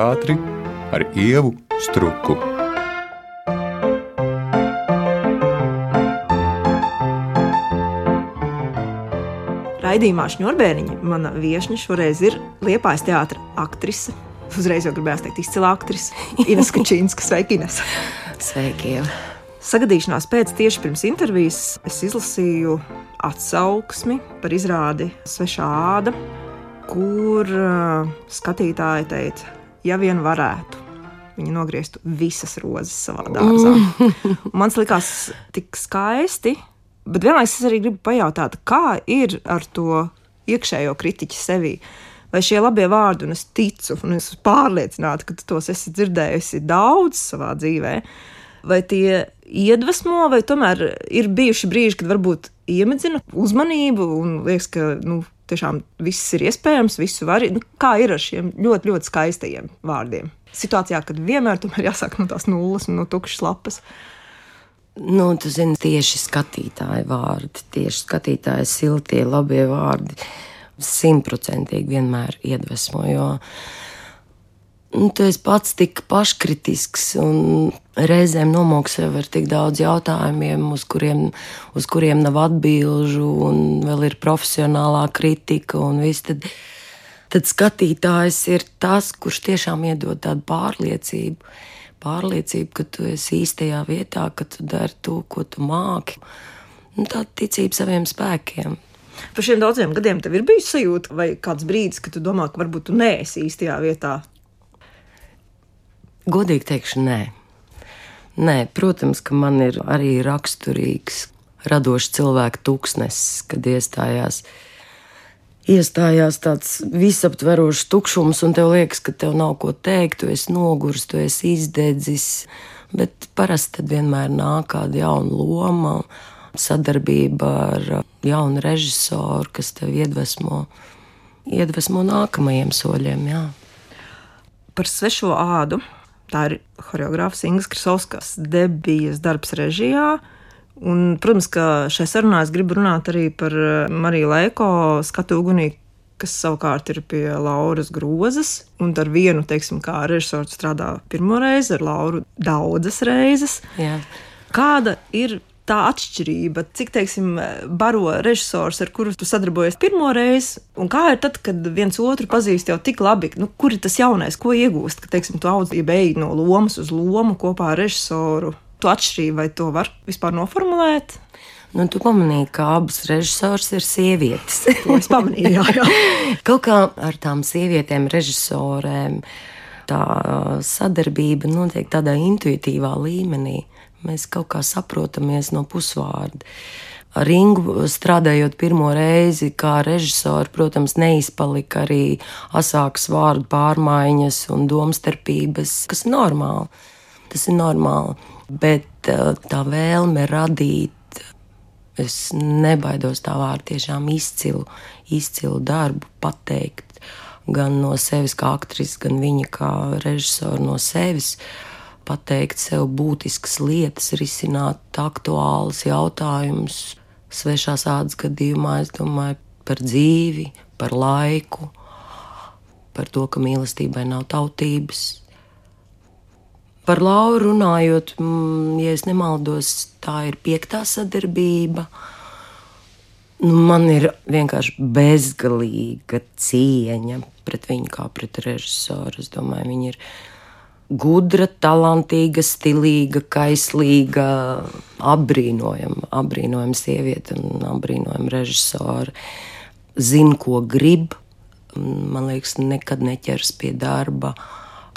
teātri ar Ievu Struku. Raidījumā Šņurbēniņa mana viešņa šoreiz ir Liepājas teātra aktrise. Uzreiz jau gribējās teikt izcila aktrise. Ines Kačīnska. Sveiki, Ines! Sveiki, Ieva! Sagadīšanās pēc tieši pirms intervijas es izlasīju atsauksmi par izrādi Svešā āda, kur skatītāji teica, ja vien varētu, viņi nogrieztu visas rozes savā dārzā. Man likās tik skaisti, bet vienlaikus es arī gribu pajautāt, kā ir ar to iekšējo kritiķi sevī. Vai šie labie vārdi, un es ticu, un es pārliecināta, ka tu tos esi dzirdējusi daudz savā dzīvē, vai tie iedvesmo, vai tomēr ir bijuši brīži, kad varbūt iemedzina uzmanību un liekas, ka tiešām viss ir iespējams, visu var. Kā ir ar šiem ļoti, ļoti skaistajiem vārdiem? Situācijā, kad vienmēr tomēr jāsāk no tās nulles un no tukšas lapas. Tu zini, tieši skatītāji vārdi, tieši skatītāji siltie, labie vārdi 100% vienmēr iedvesmo, jo tu esi pats tik paškritisks un reizēm nomok sev ar tik daudz jautājumiem, uz kuriem nav atbilžu un vēl ir profesionālā kritika un viss, tad skatītājs ir tas, kurš tiešām iedod tādu pārliecību, ka tu esi īstajā vietā, ka tu dari to, ko tu māki. Tāda ticība saviem spēkiem. Par šiem daudziem gadiem tev ir bijis sajūta vai kāds brīdis, ka tu domā, ka varbūt tu neesi īstajā vietā? Godīgi teikšu, nē. Nē, protams, ka man ir arī raksturīgs, radošs cilvēku tūkstnesis, kad iestājās tāds visaptverošs tukšums, un tev liekas, ka tev nav ko teikt, tu esi noguris, tu esi izdedzis, bet parasti tad vienmēr nāk kāda jauna loma, sadarbība ar jaunu režisoru, kas tev iedvesmo nākamajiem soļiem, jā. Par Svešo ādu, tā ir horeogrāfs Ingas Krasovskas debijas darbs režijā. Un, protams, ka šai sarunā es gribu runāt arī par Mariju Leiko skatu ugunī, kas savukārt ir pie Lauras Grozas. Un ar vienu, kā režisors strādā pirmo reizi, ar Lauru daudzas reizes. Jā. Kāda ir tā atšķirība? Cik, baro režisors, ar kuru tu sadarbojies pirmo reizi? Un kā ir tad, kad viens otru pazīst jau tik labi? Kur ir tas jaunais, ko iegūst? Ka, tu audz, ja beigi no lomas uz lomu kopā ar režisoru. Tu atšķirību, vai to var vispār noformulēt? Tu pamanīji, ka abas režisors ir sievietes. To es pamanīju, jā. Kaut kā ar tām sievietēm režisorēm tā sadarbība notiek tādā intuitīvā līmenī. Mēs kaut kā saprotamies no pusvārda. Ar Ingu strādājot pirmo reizi kā režisoru, protams, neizpalika arī asākas vārdu pārmaiņas un domstarpības, kas ir normāli. Tas ir normāli. Bet tā vēlme radīt, es nebaidos tā vārdu, tiešām izcilu darbu pateikt gan no sevis kā aktris, gan viņa kā režisora no sevis, pateikt sev būtiskas lietas, risināt aktuālus jautājumus. Svešās ādas gadījumā es domāju par dzīvi, par laiku, par to, ka mīlestībai nav tautības. Par Lauru runājot, ja es nemaldos, tā ir 5. sadarbība. Man ir vienkārši bezgalīga cieņa pret viņu kā pret režisoru. Es domāju, viņa ir gudra, talantīga, stilīga, kaislīga, apbrīnojama sieviete un apbrīnojama režisora. Zina, ko grib. Man liekas, nekad neķers pie darba.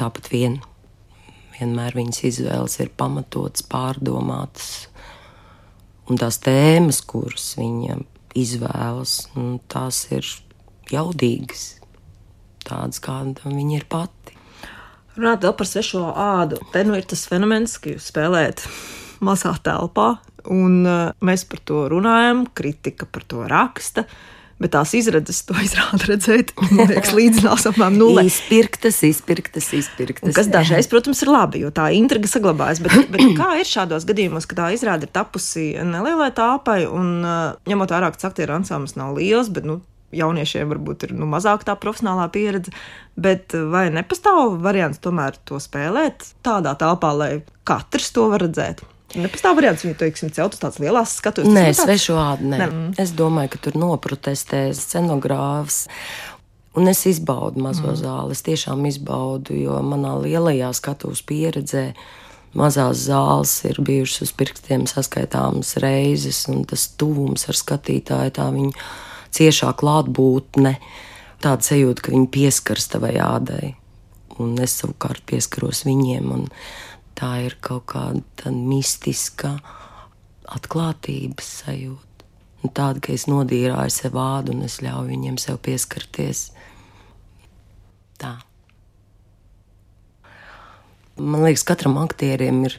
Tāpat vienmēr viņas izvēles ir pamatotas, pārdomātas. Un tās tēmas, kuras viņa izvēlas, tās ir jaudīgas. Tādas, kāda viņa ir pati. Runāt vēl par Svešo ādu. Te ir tas fenomens, ka jūs spēlējat mazā telpā, un mēs par to runājam, kritika par to raksta. Bet tās izredzes, to izrāda redzēt, man liekas, līdzinās apmēram nulē. Izpirktas. Un kas dažreiz, protams, ir labi, jo tā intriga saglabājas. Bet kā ir šādos gadījumos, ka tā izrāda ir tapusi nelielai tāpai, un ņemot vērā, ka aktieru ansamblis nav liels, bet, jauniešiem varbūt ir mazāk tā profesionālā pieredze, bet vai nepastāv variants tomēr to spēlēt tādā telpā, lai katrs to var redzēt? Nepastāv variants viņu, teiksim, celt uz tādas lielās skatuves? Nē, svešu ādu, nē. Es domāju, ka tur noprotestē scenogrāfs. Un es izbaudu mazo zāli, es tiešām izbaudu, jo manā lielajā skatuves pieredzē mazās zāles ir bijušas uz pirkstiem saskaitāmas reizes, un tas tuvums ar skatītāju, tā viņa ciešā klātbūtne, tāda sajūta, ka viņi pieskaras tavai ādai, un es savukārt pieskaros viņiem, un tā ir kaut kāda mistiska atklātības sajūta. Un tāda, ka es nodīrāju sev ādu, un es ļauju viņiem sev pieskarties. Tā. Man liekas, katram aktierim ir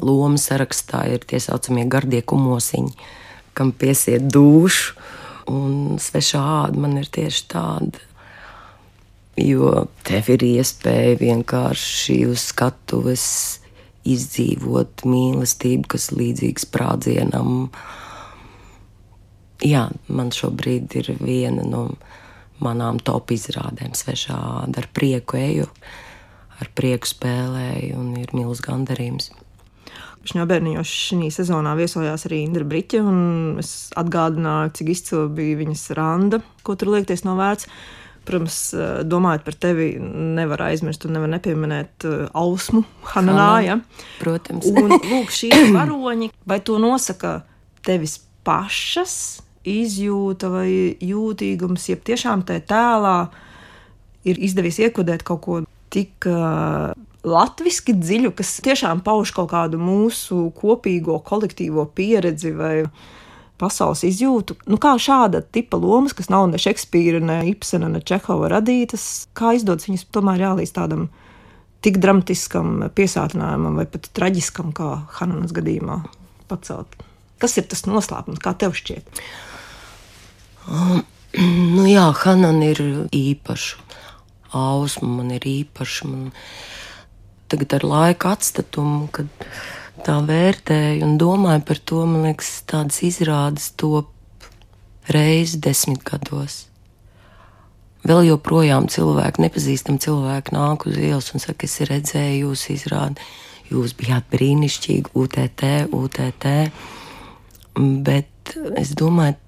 loma sarakstā, ir tie saucamie gardie kumosiņi, kam piesiet dūšu, un svešā āda man ir tieši tāda, jo tev ir iespēja vienkārši uz skatuves izdzīvot mīlestību, kas līdzīgs sprādzienam. Jā, man šobrīd ir viena no manām top izrādēm svešā āda, ar prieku eju. Ar prieku spēlēju un ir milz gandarījums. Šņobērniņos šī sezonā viesojās arī Indra Briķe, un es atgādināju, cik izcila bija viņas randa, ko tur liekties novērts. Protams, domājot par tevi, nevar aizmirst un nevar nepieminēt Ausmu Hananā, ja? Protams. Un lūk, šī varoņi, vai to nosaka tevis pašas izjūta vai jūtīgums, jeb tiešām tajā tēlā ir izdevies iekodēt kaut ko tik latviski dziļu, kas tiešām pauž kaut kādu mūsu kopīgo kolektīvo pieredzi vai pasaules izjūtu. Kā šāda tipa lomas, kas nav ne Šekspīra, ne Ibsena, ne Čehova radītas, kā izdodas viņas tomēr jālīdz tādam tik dramatiskam piesātinājumam vai pat traģiskam, kā Hananas gadījumā pacelt? Kas ir tas noslēpums, kā tev šķiet? Jā, Hanana ir īpaša. Ausma man ir īpaša. Man tagad ar laika atstatumu, kad tā vērtēju un domāju par to, man liekas, tādas izrādes top reizi 10 gados. Vēl joprojām cilvēki, nepazīstami cilvēki nāk uz ielas un saka, es redzēju jūs izrādi, jūs bijāt brīnišķīgi, UTT, bet es domāju,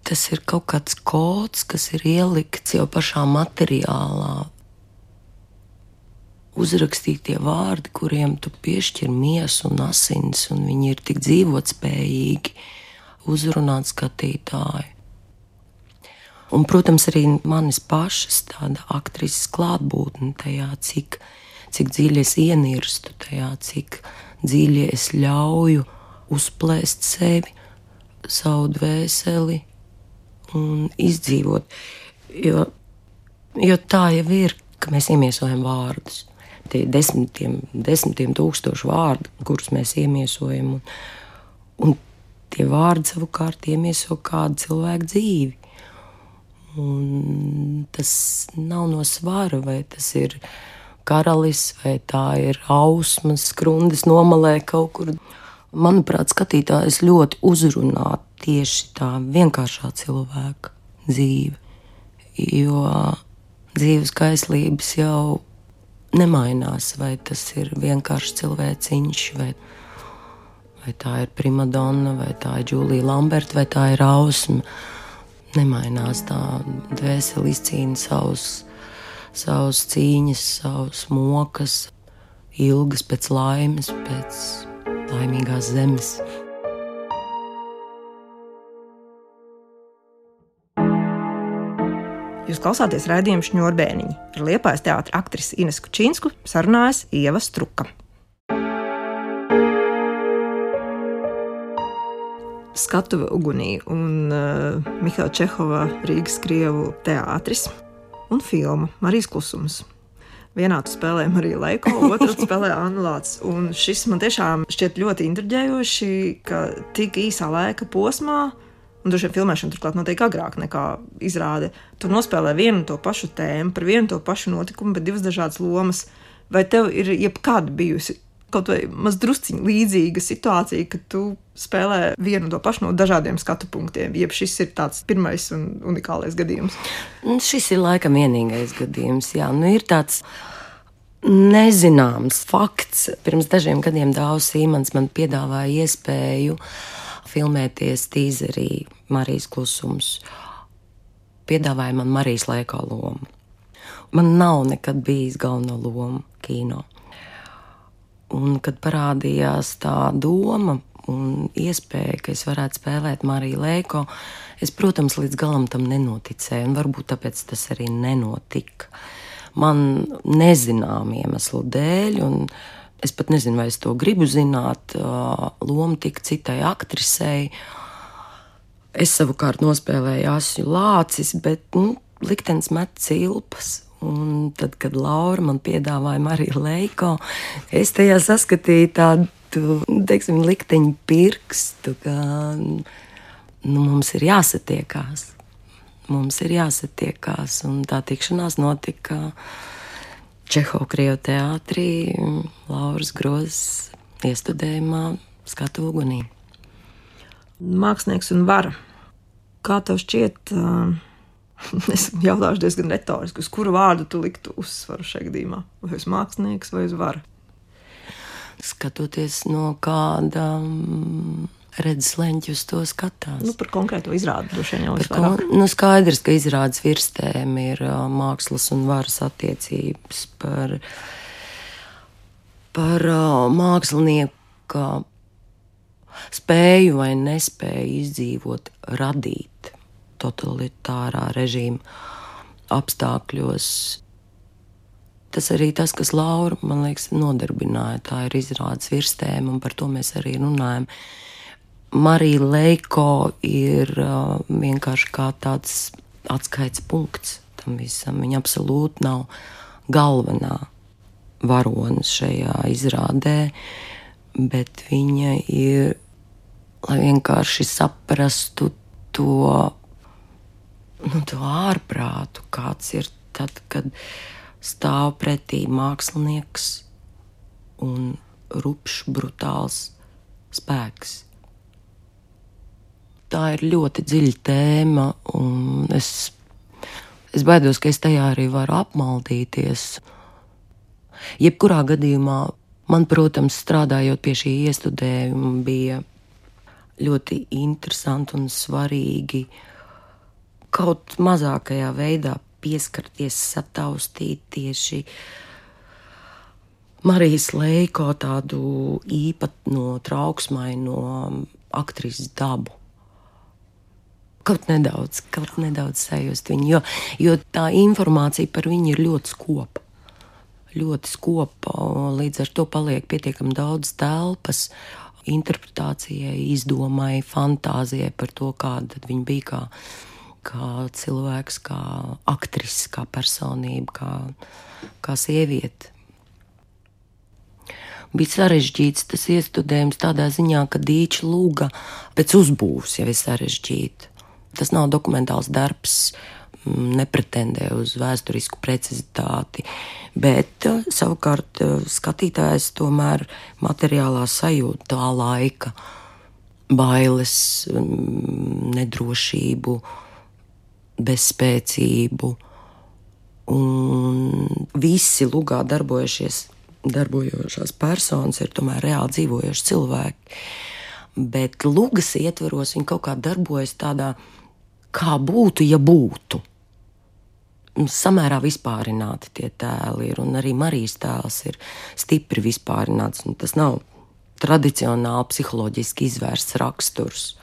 tas ir kaut kāds kods, kas ir ielikts jau pašā materiālā. Uzrakstītie vārdi, kuriem tu piešķir miesu un asins, un viņi ir tik dzīvotspējīgi uzrunāt skatītāju. Un, protams, arī manis pašas tāda aktrises klātbūtne tajā, cik dziļi es ienirstu tajā, cik dziļi es ļauju uzplēst sevi, savu dvēseli, un izdzīvot, jo tā jau ir, ka mēs iemiesojam vārdus. Tie desmitiem tūkstoši vārdu, kurus mēs iemiesojam, un tie vārdi savukārt iemieso kādu cilvēku dzīvi. Un tas nav no svara, vai tas ir karalis, vai tā ir Ausmas skrundes nomalē kaut kur. Manuprāt, skatītājs ļoti uzrunā tieši tā vienkāršā cilvēka dzīve, jo dzīves kaislības jau nemainās, vai tas ir vienkārši cilvēciņš, vai tā ir primadonna, vai tā ir Džūlija Lamberta, vai tā ir Ausma. Nemainās tā dvēseli izcīna savus cīņas, savus mokas, ilgas pēc laimes, pēc laimīgās zemes. Jūs klausāties raidījumu Šņorbēniņi. Ar Liepājas teātra aktrisi Inesu Kučinsku sarunājas Ieva Struka. Skatuve ugunī un Mihaila Čehova Rīgas Krievu teātris un filma Marijas klusums. Vienā tu spēlē Mariju Leiko, otrā tu spēlē Annu Lācis. Un šis man tiešām šķiet ļoti intriģējoši, ka tik īsā laika posmā, un droši vien filmēšana turklāt notiek agrāk nekā izrāde, tu nospēlē vienu to pašu tēmu, par vienu to pašu notikumu, bet divas dažādas lomas. Vai tev ir jebkad bijusi kaut vai maz drusciņ līdzīga situācija, ka tu spēlē vienu to pašu no dažādiem skatu punktiem, jeb šis ir tāds pirmais un unikālais gadījums? Šis ir laikam vienīgais gadījums, jā. Ir tāds nezināms fakts. Pirms dažiem gadiem Dāvs Sīmans man piedāvāja iespēju filmēties tīzerī Marijas klusums. Piedāvāja man Marijas Leiko lomu. Man nav nekad bijis galveno lomu kino. Un, kad parādījās tā doma un iespēja, ka es varētu spēlēt Mariju Leiko, es, protams, līdz galam tam nenoticēju, un varbūt tāpēc tas arī nenotika. Man nezinām iemeslu dēļ, un es pat nezinu, vai es to gribu zināt, loma tika citai aktrisei. Es savukārt nospēlēju Asju Lācis, bet, liktenis met cilpas. Un tad, kad Laura man piedāvāja Mariju Leiko, es tajā saskatīju tādu, teiksim, likteņu pirkstu, ka mums ir jāsatiekās. Mums ir jāsatiekās, un tā tikšanās notika Čehova Krievu teātrī, Lauras Grozes iestudējumā Skatu ugunī. Mākslinieks un vara. Kā tev šķiet... Es jautāšu diezgan retoriski, uz kuru vārdu tu liktu uzsvaru šajā gadījumā? Vai uz mākslinieks vai uz varu? Skatoties no kāda redzesleņķa uz to skatās. Par konkrēto izrādi droši vien jau vairāk. Skaidrs, ka izrādes virstēm ir mākslas un varas attiecības par mākslinieku spēju vai nespēju izdzīvot, radīt totalitārā režīma apstākļos. Tas arī tas, kas Laura, man liekas, nodarbināja. Tā ir izrādes virstēma, un par to mēs arī runājam. Marija Leiko ir vienkārši kā tāds atskaits punkts tam visam. Viņa absolūti nav galvenā varonis šajā izrādē, bet viņa ir, lai vienkārši saprastu to ārprātu, kāds ir tad, kad stāv pretī mākslinieks un rupšs, brutāls spēks. Tā ir ļoti dziļa tēma, un es baidos, ka es tajā arī varu apmaldīties. Jebkurā gadījumā man, protams, strādājot pie šī iestudējuma, bija ļoti interesanti un svarīgi kaut mazākajā veidā pieskarties, sataustīt tieši Marijas Leiko tādu īpatno, trauksmaino aktrises dabu. Kaut nedaudz sajust viņu, jo tā informācija par viņu ir ļoti skopa. Ļoti skopa, līdz ar to paliek pietiekami daudz telpas interpretācijai, izdomai, fantāzijai par to, kāda tad viņa bija kā cilvēks, kā aktris, kā personība, kā sieviete. Bija sarežģīts tas iestudējums tādā ziņā, ka Dīča lūga pēc uzbūves jau ir sarežģīta. Tas nav dokumentāls darbs, nepretendē uz vēsturisku precizitāti, bet savukārt skatītājs tomēr materiālā sajūta tā laika bailes, nedrošību, bezspēcību, un visi lugā darbojošās personas ir tomēr reāli dzīvojoši cilvēki. Bet lugas ietvaros viņi kaut kā darbojas tādā, kā būtu, ja būtu. Samērā vispārināti tie tēli ir, un arī Marijas tēls ir stipri vispārināts, un tas nav tradicionāli psiholoģiski izvērsts raksturs.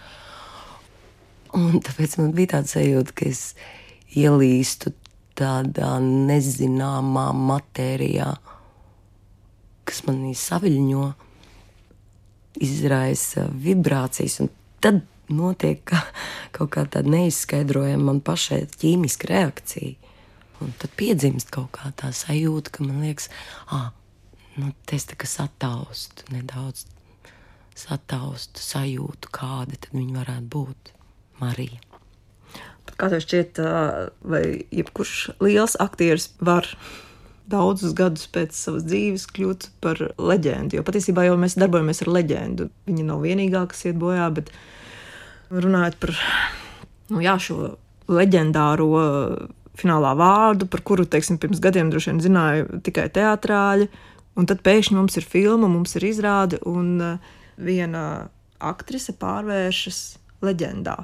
Un tāpēc man bija tāds sajūta, ka es ielīstu tādā nezināmā matērijā, kas manī saviļņo, izraisa vibrācijas, un tad notiek kaut kā tāda neizskaidrojama man pašai ķīmiska reakcija. Un tad piedzimst kaut kā tā sajūta, ka man liekas, es tā kā sataustu, nedaudz sataustu sajūtu, kāda tad viņa varētu būt. Marija. Kā tev šķiet, vai jebkurš liels aktieris var daudzus gadus pēc savas dzīves kļūt par leģendu. Jo patiesībā jau mēs darbojamies ar leģendu. Viņa nav vienīgā, kas iet bojā, bet runājot par šo leģendāro finālā vārdu, par kuru, teiksim, pirms gadiem droši vien zināju tikai teatrāļi, un tad pēkšņi mums ir filma, mums ir izrāde, un viena aktrise pārvēršas leģendā.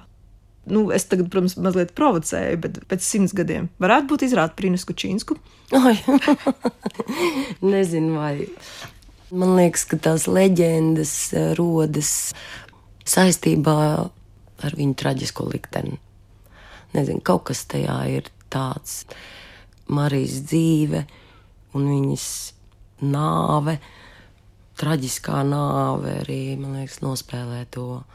Es tagad, protams, mazliet provocēju, bet pēc 100 gadiem varētu būt izrāde par Inesu Kučinsku? Oi, nezinu, vai. Man liekas, ka tās leģendas rodas saistībā ar viņu traģisko likteni. Nezinu, kaut kas tajā ir tāds. Marijas dzīve un viņas nāve, traģiskā nāve arī, man liekas, nospēlē to.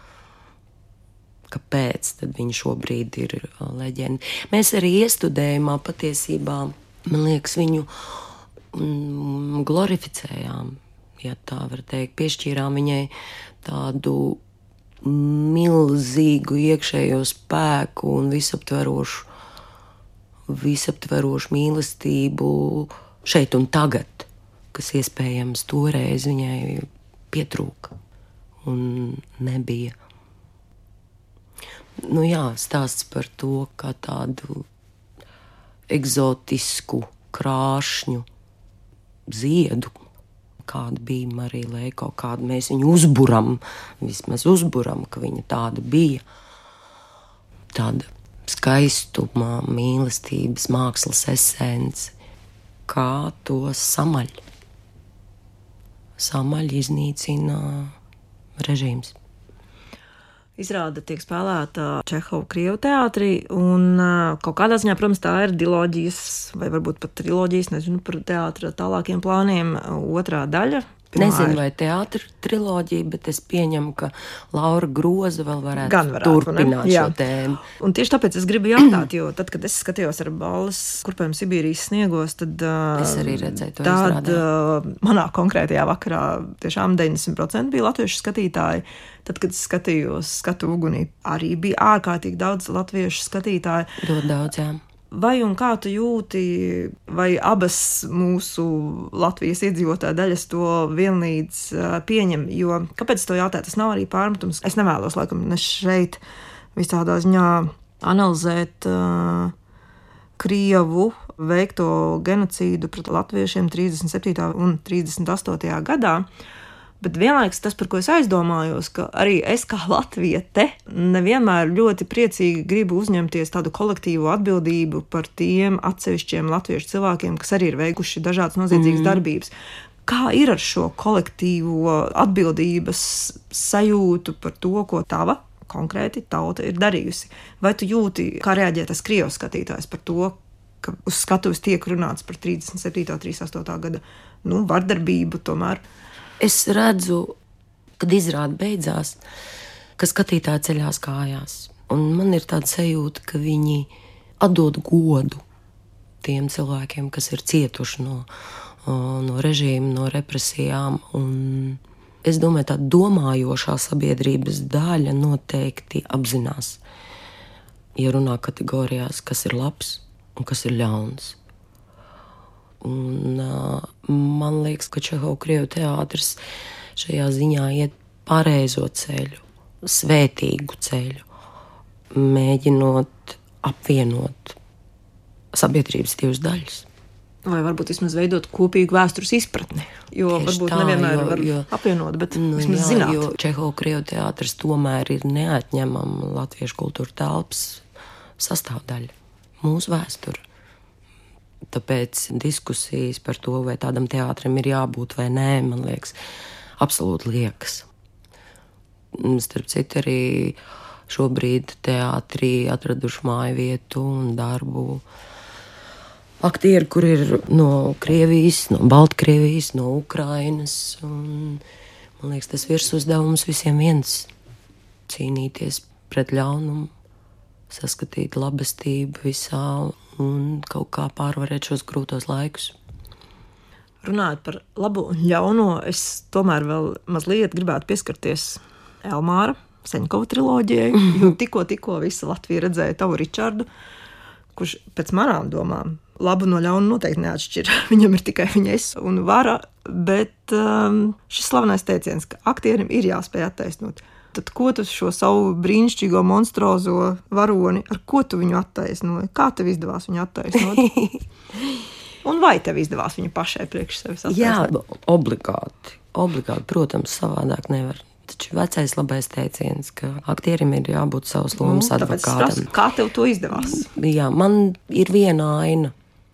Kāpēc tad viņa šobrīd ir leģenda? Mēs arī iestudējumā patiesībā, man liekas, viņu glorificējām, ja tā var teikt, piešķīrām viņai tādu milzīgu iekšējo spēku un visaptverošu mīlestību šeit un tagad, kas iespējams toreiz viņai pietrūka un nebija. Stāsts par to, kā tādu egzotisku krāšņu ziedu, kāda bija Marija Leiko, kādu mēs viņu vismaz uzburam, ka viņa tāda bija. Tāda skaistuma, mīlestības, mākslas esence, kā to samaļ iznīcina režīms. Izrāde tiek spēlēta Čehova Krievu teātrī, un kaut kādā ziņā, protams, tā ir diloģijas, vai varbūt pat triloģijas, nezinu par teātra tālākiem plāniem, otrā daļa. Nezinu, vai teātra triloģija, bet es pieņemu, ka Laura Groza vēl varētu turpināt šo tēmu. Un tieši tāpēc es gribu jautāt, jo tad, kad es skatījos ar balles kurpēm Sibīrijas sniegos, tad es arī redzēju to izrādē. Manā konkrētajā vakarā tiešām 90% bija latviešu skatītāji. Tad, kad es skatījos Skatu ugunī, arī bija ārkārtīgi daudz latviešu skatītāju. Ļoti daudz, jā. Vai un kā tu jūti, vai abas mūsu Latvijas iedzīvotāju daļas to vienlīdz pieņem? Jo, kāpēc to jautāt? Tas nav arī pārmetums. Es nevēlos, laikam, ne šeit visādā ziņā analizēt Krievu veikto genocīdu pret latviešiem 37. un 38. gadā. Bet vienlaikus tas, par ko es aizdomājos, ka arī es kā latviete nevienmēr ļoti priecīgi gribu uzņemties tādu kolektīvu atbildību par tiem atsevišķiem latviešu cilvēkiem, kas arī ir veikuši dažādas noziedzīgas darbības. Kā ir ar šo kolektīvo atbildības sajūtu par to, ko tava konkrēti tauta ir darījusi? Vai tu jūti, kā reaģē tas Krievs skatītājs par to, ka uz skatuves tiek runāts par 37. 38. gada vardarbību tomēr? Es redzu, kad izrāde beidzās, ka skatītāji ceļās kājās. Un man ir tāda sajūta, ka viņi atdod godu tiem cilvēkiem, kas ir cietuši no režīma, no represijām. Un es domāju, tā domājošā sabiedrības daļa noteikti apzinās, ja runā kategorijās, kas ir labs un kas ir ļauns. Un man liekas, ka Čehova Krievu teātris šajā ziņā iet pareizo ceļu, svētīgu ceļu, mēģinot apvienot sabiedrības divas daļas. Vai varbūt vismaz veidot kopīgu vēstures izpratni, jo tieši varbūt tā, nevienmēr var apvienot, bet vismaz zināt. Jo Čehova Krievu teātris tomēr ir neatņemama latviešu kultūra telpas sastāvdaļa, mūsu vēsture. Tāpēc diskusijas par to, vai tādam teātrim ir jābūt vai nē, man liekas, absolūti liekas. Starp citu, arī šobrīd teātrī atraduši māju vietu un darbu aktieri, kur ir no Krievijas, no Baltkrievijas, no Ukrainas. Un, man liekas, tas virsuzdevums visiem viens - cīnīties pret ļaunumu, saskatīt labestību visā un kaut kā pārvarēt šos grūtos laikus. Runājot par labo un ļauno, es tomēr vēl mazliet gribētu pieskarties Elmāra Seņkova triloģijai, jo tikko visa Latvija redzēja tavu Ričardu, kurš pēc manām domām labu no ļauna noteikti neatšķir. Viņam ir tikai viņa es un vara, bet šis slavenais teiciens, ka aktierim ir jāspēj attaisnot. Tad ko tu šo savu brīnišķīgo monstruozo varoni, ar ko tu viņu attaisnoji? Kā tev izdevās viņu attaisnot? Un vai tev izdevās viņu pašai priekš sevis attaisnot? Jā, obligāti. Obligāti, protams, savādāk nevar. Taču vecais labais teiciens, ka aktierim ir jābūt savas lomas advokātam. Kā tev to izdevās? Jā, man ir viena aina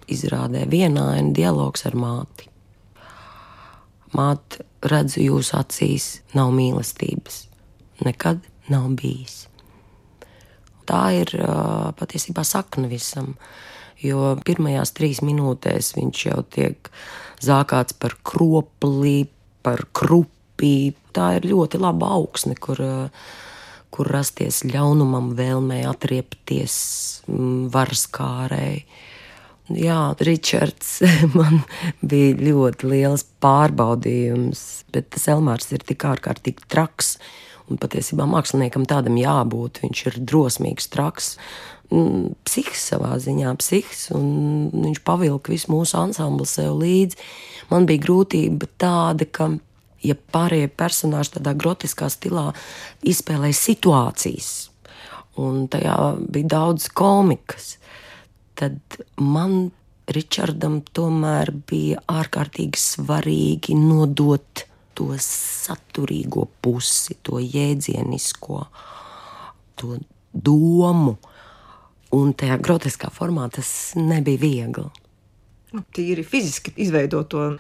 izrādē, viena aina dialogs ar māti. Māte, redzu jūsu acīs, nav mīlestības. Nekad nav bijis. Tā ir patiesībā sakna visam, jo pirmajās 3 minūtēs viņš jau tiek zākāts par kropli, par krupi. Tā ir ļoti laba augsne, kur rasties ļaunumam, vēlmei atriepties varas kārēji. Jā, Ričards man bija ļoti liels pārbaudījums, bet tas Elmārs ir tik ārkārtīgi traks, un patiesībā māksliniekam tādam jābūt. Viņš ir drosmīgs, traks, psihs savā ziņā, un viņš pavilka visu mūsu ansamblu sev līdzi. Man bija grūtība tāda, ka ja pārējie personāži tādā grotiskā stilā izspēlēja situācijas, un tajā bija daudz komikas, tad man, Ričardam, tomēr bija ārkārtīgi svarīgi nodot to saturīgo pusi, to jēdzienisko, to domu, un tajā grotiskā formā tas nebija viegli. Tīri fiziski izveidot to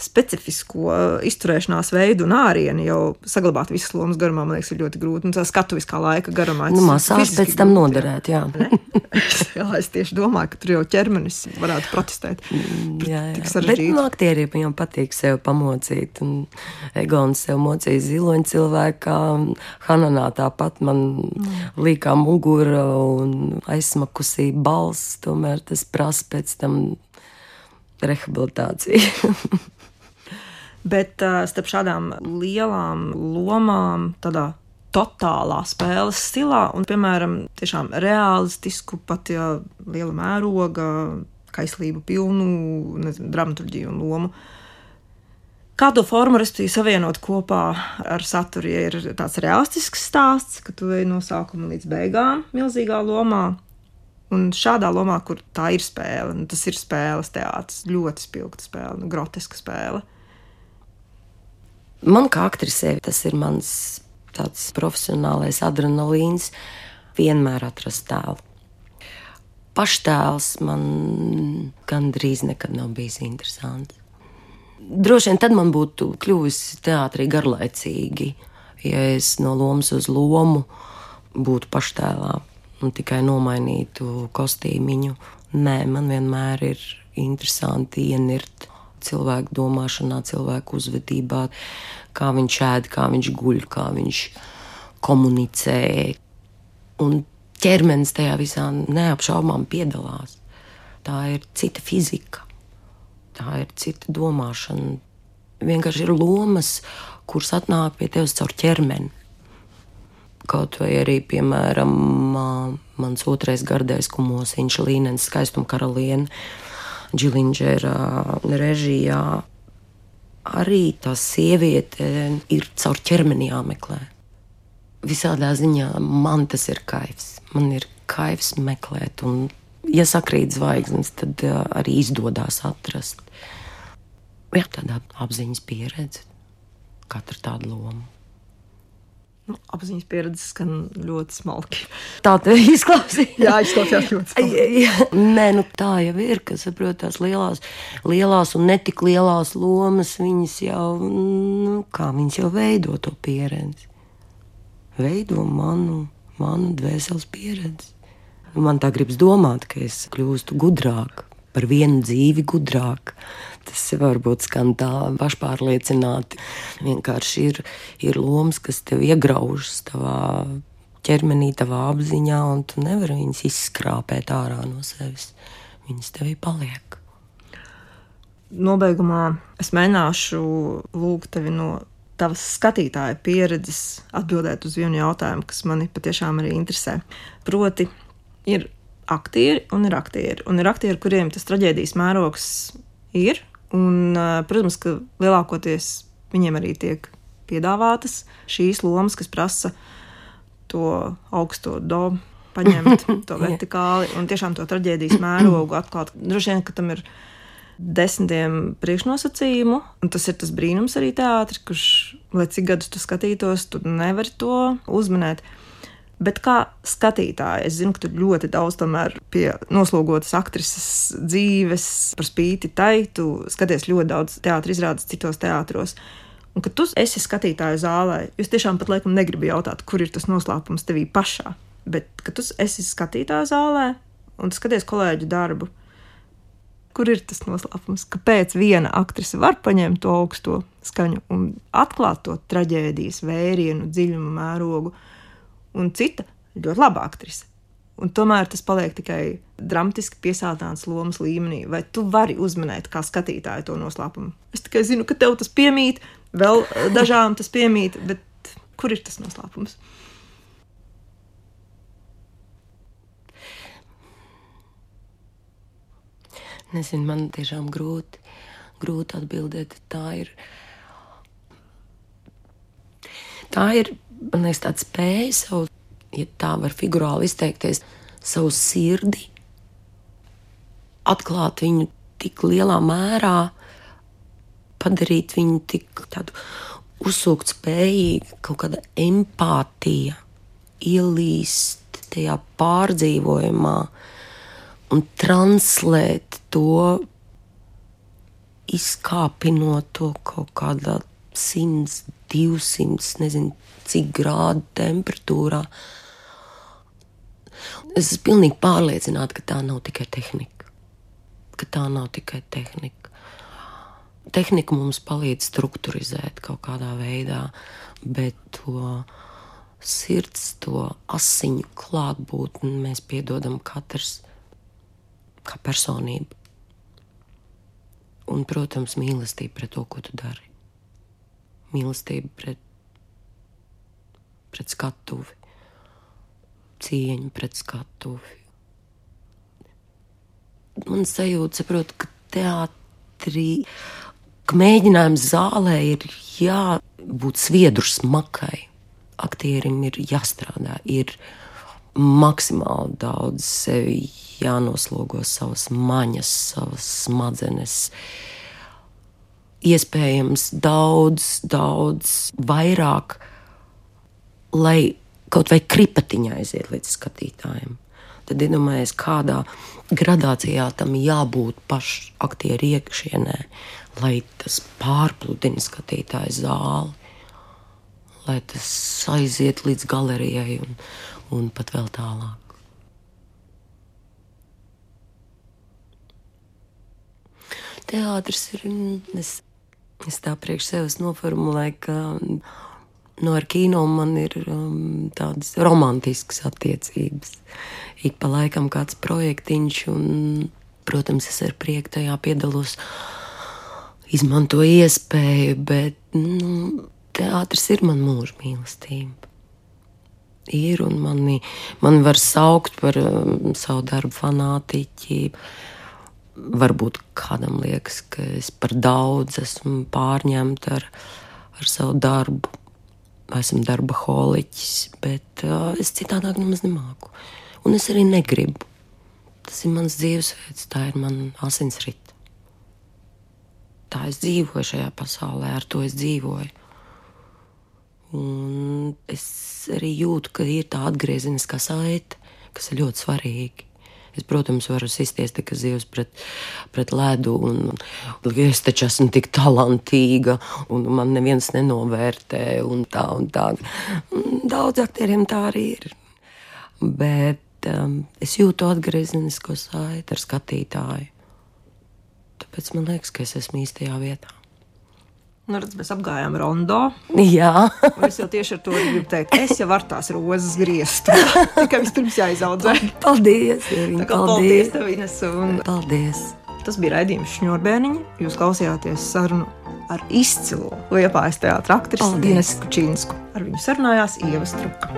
specifisko izturēšanās veidu un ārienu jau saglabāt visas lomas garumā, man liekas, ir ļoti grūti. Un tā skatuviskā laika garumā. Masāžs pēc tam noderēt, jā. Jā, es tieši domāju, ka tur jau ķermenis varētu protestēt. Jā. Bet aktieriem jau patīk sev pamocīt. Un Egons sev mocīja ziloņu cilvēkā. Hananā tāpat man līkā mugura un aizsmakusī balss. Tomēr tas prasa pēc tam rehabilitāciju. Bet starp šādām lielām lomām, tādā totālā spēles stilā un, piemēram, tiešām realistisku, pat ja liela mēroga, kaislību pilnu, dramaturģiju un lomu. Kā to formu, respektīvi, savienot kopā ar saturu, ja ir tāds realistisks stāsts, ka tu ej no sākuma līdz beigām milzīgā lomā, un šādā lomā, kur tā ir spēle, un tas ir spēles teātris, ļoti spilgta spēle, groteska spēle. Man kā aktrisē tas ir mans tāds profesionālais adrenalīns, vienmēr atrast tēlu. Paštēls man gandrīz nekad nav bijis interesants. Droši vien tad man būtu kļuvis teātrī garlaicīgi, ja es no lomas uz lomu būtu paštēlā un tikai nomainītu kostīmiņu. Nē, man vienmēr ir interesanti ienirt cilvēku domāšanā, cilvēku uzvedībā, kā viņš ēd, kā viņš guļ, kā viņš komunicē. Un ķermenis tajā visā neapšaubām piedalās. Tā ir cita fizika, tā ir cita domāšana. Vienkārši ir lomas, kuras atnāk pie tevis caur ķermeni. Kaut vai arī, piemēram, mans otrais gardais kumosiņš Līnens skaistuma karaliene, Džilindžera režijā, arī tā sieviete ir caur ķermeni jāmeklē. Visādā ziņā man tas ir kaifs. Man ir kaifs meklēt, un ja sakrīt zvaigznes, tad arī izdodās atrast. Jā, tādā apziņas pieredze, katra tāda loma. Apziņas pieredze skan ļoti smalki. Tā te izklausījās. Jā, izklausījās ļoti smalki. Nē, tā jau ir, ka saprot tās lielās un netik lielās lomas, viņas jau, kā viņas jau veido to pieredzi. Veido manu dvēseles pieredzi. Man tā gribas domāt, ka es kļūstu gudrāk, par vienu dzīvi gudrāk. Tas varbūt skan tā pašpārliecināti. Vienkārši ir lomas, kas tev iegraužas tavā ķermenī, tavā apziņā, un tu nevari viņas izskrāpēt ārā no sevis. Viņas tevī paliek. Nobeigumā es mēģināšu lūgt tevi no tavas skatītāja pieredzes atbildēt uz vienu jautājumu, kas mani patiešām arī interesē. Proti, ir aktieri un ir aktieri. Un ir aktieri, kuriem tas traģēdijas mērogs ir. Un, protams, ka lielākoties viņiem arī tiek piedāvātas šīs lomas, kas prasa to augsto do paņemt, to vertikāli un tiešām to traģēdijas mērogu atklāt. Droši vien, ka tam ir 10 priekšnosacījumu, un tas ir tas brīnums arī teātris, kurš, lai cik gadus tu skatītos, tu nevari to uzmanēt. Bet kā skatītāji, es zinu, ka tu ļoti daudz tomēr pie noslogotas aktrises dzīves par spīti tai, tu skaties ļoti daudz teātra izrādes citos teātros. Un kad tu esi skatītāju zālē, jūs tiešām pat laikam negribi jautāt, kur ir tas noslēpums tevī pašā. Bet, kad tu esi skatītāju zālē un tu skaties kolēģu darbu, kur ir tas noslēpums? Kāpēc viena aktrise var paņemt to augsto skaņu un atklāt to traģēdijas vērienu, dziļumu, mērogu, un cita ļoti laba aktrise? Un tomēr tas paliek tikai dramatiski piesātināts lomas līmenī. Vai tu vari uzmanēt kā skatītāju to noslēpumu? Es tikai zinu, ka tev tas piemīt, vēl dažām tas piemīt, bet kur ir tas noslēpums? Nezinu, man tiešām grūti atbildēt. Tā ir, man liekas, tāda spēja savu, ja tā var figurāli izteikties, savu sirdi, atklāt viņu tik lielā mērā, padarīt viņu tik tādu uzsūkt spējīgu, kaut kāda empātija, ielīst tajā pārdzīvojumā un translēt to, izkāpinot to kaut kādā 100, 200, nezinu, cik grādu temperatūrā. Es esmu pilnīgi pārliecināta, ka tā nav tikai tehnika. Tehnika mums palīdz strukturizēt kaut kādā veidā, bet to sirds, to asiņu klātbūtni mēs piedodam katrs kā personība. Un, protams, mīlestība pret to, ko tu dari. Mīlestība pret skatuvi. Cieņa pret skatuvi. Man sajūta, saprot, ka teātrī, ka mēģinājums zālē ir jābūt sviedru smakai. Aktierim ir jāstrādā, ir maksimāli daudz sevi jānoslogo savas maņas, savas smadzenes. Iespējams daudz vairāk, lai kaut vai kripatiņā aiziet līdz skatītājiem. Tad iedomājies, kādā gradācijā tam jābūt pašu aktieru iekšienē, lai tas pārpludina skatītāju zāli, lai tas aiziet līdz galerijai un pat vēl tālāk. Teātris ir, es tā priekš sevis noformulēju, ka ar kino man ir tādas romantiskas attiecības. Ik pa laikam kāds projektiņš un, protams, es ar prieku tajā piedalos, izmantoju iespēju, bet, teātris ir man mūža mīlestība. Ir un mani var saukt par savu darbu fanātiķi. Varbūt kādam liekas, ka es par daudz esmu pārņemta ar savu darbu. Esmu darba holiķis, bet es citādāk nemaz nemāku. Un es arī negribu. Tas ir mans dzīvesveids, tā ir man asinsrita. Tā es dzīvoju šajā pasaulē, ar to es dzīvoju. Un es arī jūtu, ka ir tā atgriezeniskā saite, kas ir ļoti svarīga. Es, protams, varu sisties tikai zivs pret ledu, un es taču esmu tik talantīga, un man neviens nenovērtē, un tā. Daudz aktieriem tā arī ir. Bet es jūtu atgriezenisko saiti ar skatītāju. Tāpēc man liekas, ka es esmu īstajā vietā. Redz, mēs apgājām rondo. Jā. Un es jau tieši ar to gribu teikt, es jau varu tās rozes griezt. Tikai vispirms jāizaudzē. Paldies, Ieviņa, paldies tev, Ines. Paldies. Tas bija raidījums Šņurbēniņi. Jūs klausījāties sarunu ar izcilo Liepājas teātra aktrisi Inesu Kučīnsku. Ar viņu sarunājās Ieva Struka.